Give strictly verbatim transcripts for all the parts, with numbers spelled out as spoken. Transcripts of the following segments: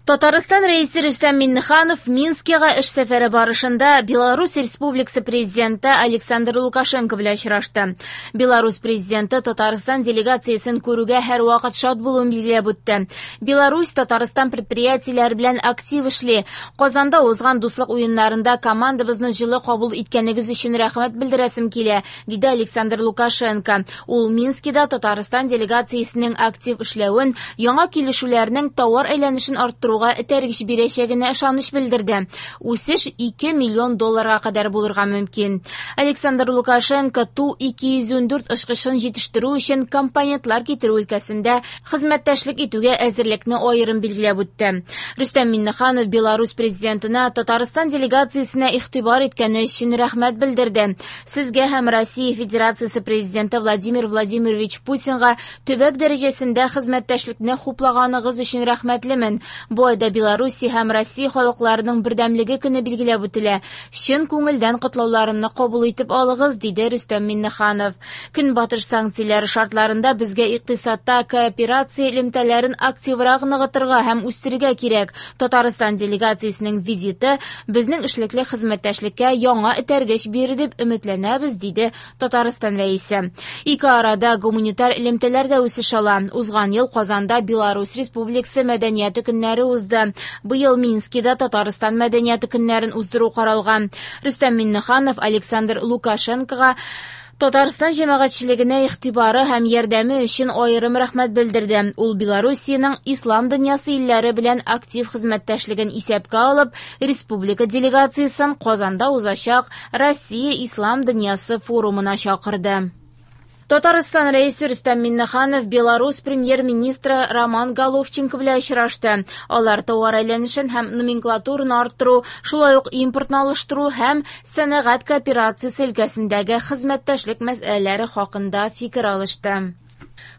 Татарстан Рәисе Рөстәм Миңнеханов Минскига эш сәфәре барышында Беларусь Республикасы президенты Александр Лукашенко белән очрашты. Беларусь президенты Татарстан делегациясен күрүгә һәрвакыт шат булуын билгеләп үтте. Беларусь Татарстан предприятиеләре белән актив эшли. Казанда узган дуслык уеннарында командабызны җылы кабул иткәнегез өчен рәхмәт белдерәсем килә, диде Александр Лукашенко. Ул Минскида Татарстан делегациясенең актив эшләвен, яңа килешүләрнең товар әйләнешен арттыру этәргеч бирәчәгенә ышаныч белдерде. Үсеш ике миллион долларга кадәр булырга мөмкин. Александр Лукашенко Ту ике йөз ундүрт очкычын җитештерү өчен компонентлар китерү өлкәсендә хезмәттәшлек итүгә әзерлекне аерым билгеләп үтте. Рөстәм Миңнеханов Беларусь президентына Татарстан делегациясенә игътибар иткәне өчен рәхмәт белдерде. Сезгә һәм Россия Федерациясе президенты Владимир Владимирович Путинга төбәк дәрәҗәсендә хезмәттәшлекне хуплаганыгыз өчен рәхмәтлемен. Бу айда Беларусь һәм Россия халыкларының бердәмлеге көне билгеләп үтелә. Чын күңелдән котлауларымны кабул итеп алыгыз, диде Рөстәм Миңнеханов. Көнбатыш санкцияләре шартларында безгә икътисадта кооперация элемтәләрен активрак ныгытырга һәм үстерергә кирәк. Татарстан делегациясенең визиты безнең эшлекле хезмәттәшлеккә яңа этәргеч бирер дип өметләнәбез, диде Татарстан рәисе. Ике арада гуманитар элемтәләр дә үсеш ала. Узган ел Казанда Беларусь Республикасы мәдәнияте көннәре узды. Быел Минскида Татарстан мәдәнияте көннәрен уздыру каралган. Рөстәм Миңнеханов Александр Лукашенкога Татарстан җәмәгатьчелегенә игътибары һәм ярдәме өчен аерым рәхмәт белдерде. Ул Белоруссиянең ислам дөньясы илләре белән актив хезмәттәшлеген исәпкә алып, республика делегациясен Казанда узачак Россия ислам дөньясы форумына чакырды. Татарстан рәисе Рөстәм Миңнеханов Беларусь премьер-министры Роман Головченко белән очрашты. Алар товар әйләнешен һәм номенклатураны арттыру, шулай ук импортны алыштыру һәм сәнәгать кооперациясе өлкәсендәге хезмәттәшлек мәсьәләләре хакында фикер алышты.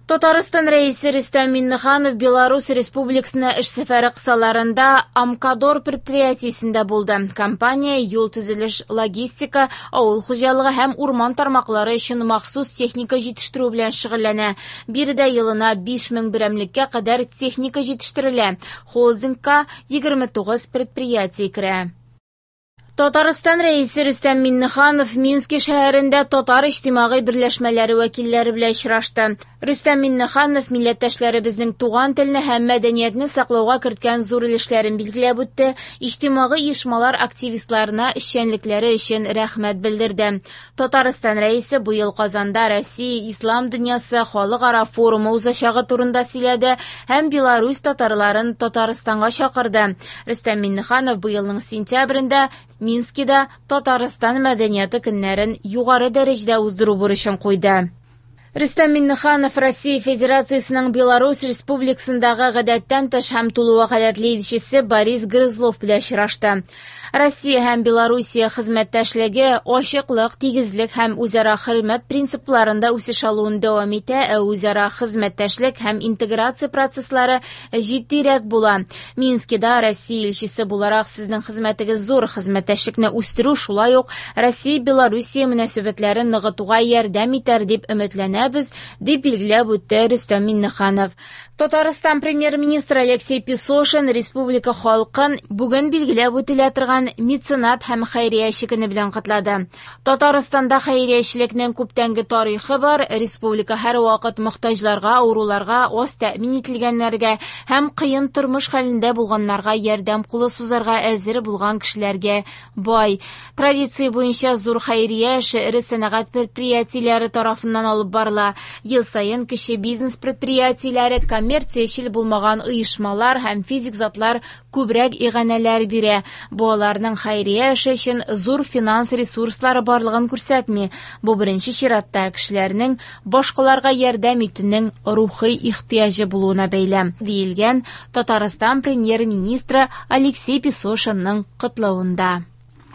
Татарстан рәисе Рөстәм Миңнеханов Беларусь Республикасына эш сәфәре кысаларында Амкадор предприятиесендә булды. Компания юл төзелеш, логистика, авыл хуҗалыгы һәм урман тармаклары өчен махсус техника җитештерү белән шөгыльләнә. Биредә елына биш мең берәмлеккә кадәр техника җитештерелә. Холдингка егерме тугыз предприятие керә. Татарстан рәисе Рөстәм Миңнеханов Мински шәһәрендә татар иҗтимагый берләшмәләре вәкилләре белән очрашты. Рөстәм Миңнеханов милләттәшләребезнең туган телне һәм мәдәниятне саклауга керткән зур өлешләрен билгеләп үтте, иҗтимагый оешмалар активистларына эшчәнлекләре өчен рәхмәт белдерде. Татарстан рәисе быел Казанда Россия ислам дөньясы халыкара форумы узачагы турында сөйләде һәм Беларусь татарларын Татарстанга чакырды. Рөстәм Миңнеханов быелның сентябрендә Минскида Татарстан мәдәнияте көннәрен югары дәрәҗәдә уздыру бурычын куйды. Рөстәм Миңнеханов Россия Федерациясенең Беларусь Республикасындагы гадәттән тыш һәм тулы вәкаләтле илчесе Борис Грызлов белән очрашты. Россия һәм Белоруссия хезмәттәшлеге ачыклык, тигезлек һәм үзара хөрмәт принципларында үсеш алуын дәвам итә, ә үзара хезмәттәшлек һәм интеграция процесслары җитдирәк була. Минскида Россия илчесе буларак сезнең хезмәтегез зур, хезмәттәшлекне үстерү шулай ук Россия-Белоруссия мөнәсәбәтләрен ныгытуга ярдәм итәр дип өметләнәбез, дип билгеләп үтте Рөстәм Миңнеханов. Татарстан премьер-министры Алексей Песошин республика халкын бүген билгеләп үтелә торган меценат һәм хәйрияче көне белән котлады. Татарстанда хәйриячелекнең күптәнге тарихы бар. Республика һәрвакыт мохтаҗларга, авыруларга, аз тәэмин ителгәннәргә һәм кыен тормыш хәлендә булганнарга ярдәм кулы сузарга әзер булган кешеләргә бай. Традиция буенча зур хәйрия эше эре сәнәгать предприятиеләре тарафыннан алып барыла. Ел саен кече бизнес предприятиеләре, коммерциячел булмаган оешмалар һәм физик затлар күбрәк иганәләр бирә. Бу аларның хәйрия эше өчен зур финанс ресурслары барлыгын күрсәтми. Бу беренче чиратта кешеләрнең башкаларга ярдәм итүнең рухи ихтыяҗы булуына бәйле, диелгән Татарстан премьер-министры Алексей Песошинның котлавында.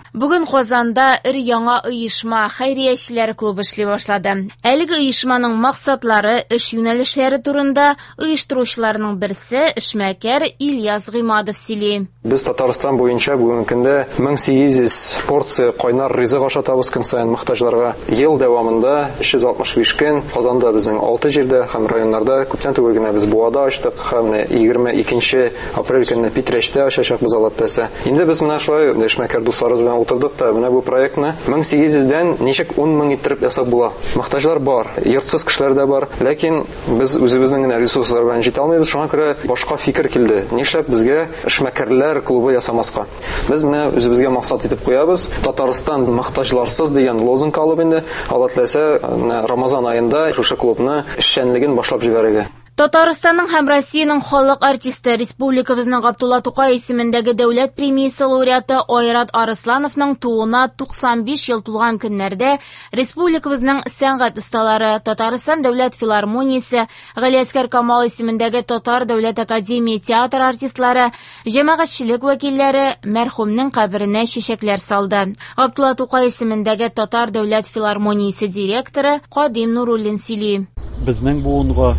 Бүген Казанда өр-яңа оешма Хәйриячеләр клубы эшли башлады. Әлеге оешманың максатлары, эш юнәлешләре турында оештыручыларның берсе эшмәкәр Ильяс Гыймадов сөйли. Без Татарстан буенча бүгенге көндә мең сигез йөз порция кайнар ризык ашатабыз көн саен мохтаҗларга. Ел дәвамында өч йөз алтмыш биш көн Казанда безнең алты җирдә һәм районнарда күптән түгел генә без Буада ачтык һәм егерме икенче апрель көнне Питрәчтә ачачакбыз, Алла теләсә. Инде без менә шулай эшмәкәр дусларыбыз белән утырдык та, менә бу проектны мең сигез йөздән ничек ун мең иттереп ясап була. Мохтаҗлар бар, йортсыз кешеләр дә бар, ләкин без үзебезнең генә ресурслар белән җитә алмыйбыз, шуңа күрә башка фикер килде. Нишләп безгә эшмәкәрләр клубы ясамаска? Без менә үзебезгә максат итеп куябыз, Татарстан мохтаҗларсыз дигән лозунг алып инде, Алла теләсә, менә Рамазан аенда шушы клубны эшчәнлеген башлап җибәрергә. Татарстанның һәм Россиянең халык артисты, республикабызның Габдулла Тукай исемендәге дәүләт премиясе лауреаты Айрат Арыслановның тууына туксан биш ел тулган көннәрдә республикабызның сәнгать осталары, Татарстан дәүләт филармониясе, Галиәсгар Камал исемендәге Татар дәүләт академия театр артистлары, җәмәгатьчелек вәкилләре мәрхүмнең каберенә чәчәкләр салды. Габдулла Тукай исемендәге Татар дәүләт филармониясе директоры Кадим Нуруллин сөйли. Безнең буынга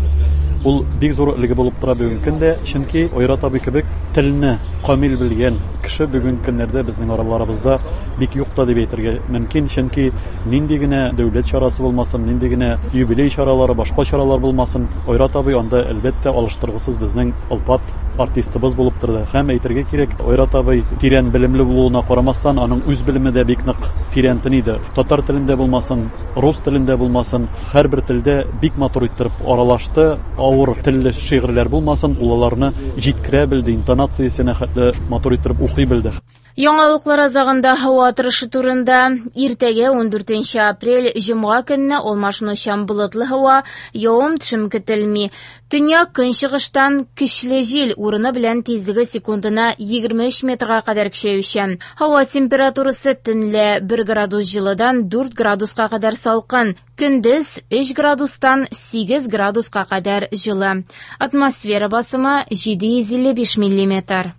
ул бик зур өлге булып тора бүгенге көндә, чөнки Айрат абый кебек телне камил белгән кеше бүгенге көннәрдә безнең араларыбызда бик юк та дип әйтергә мөмкин, чөнки нинди генә дәүләт чарасы булмасын, нинди генә юбилей чаралары, башка чаралар булмасын, Айрат абый анда әлбәттә алыштыргысыз безнең олпат артистыбыз булып торды. Һәм әйтергә кирәк, Айрат абый тирән белемле булуына карамастан, аның үз белеме дә бик нык тирәнтен иде. Татар телендә булмасын, рус телендә булмасын, һәрбер телдә бик матур иттереп аралашты. Авыр телле шигырьләр булмасын, ул аларны җиткерә белде, интонациясенә хәтле матур иттереп укый белде. Яңалыклар азагында һава торышы турында. Иртәгә ун дүртенче апрель җомга көнне алмашынучан болытлы һава, явым-төшем көтелми. Төньяк көнчыгыштан көчле җил, урыны белән тизлеге секундына егерме өч метрга кадәр көчәючән. Һава температурасы төнлә бер градус җылыдан дүрт градуска кадәр салкын, көндез өч градустан сигез градуска кадәр җылы. Атмосфера басымы җиде йөз илле биш миллиметр.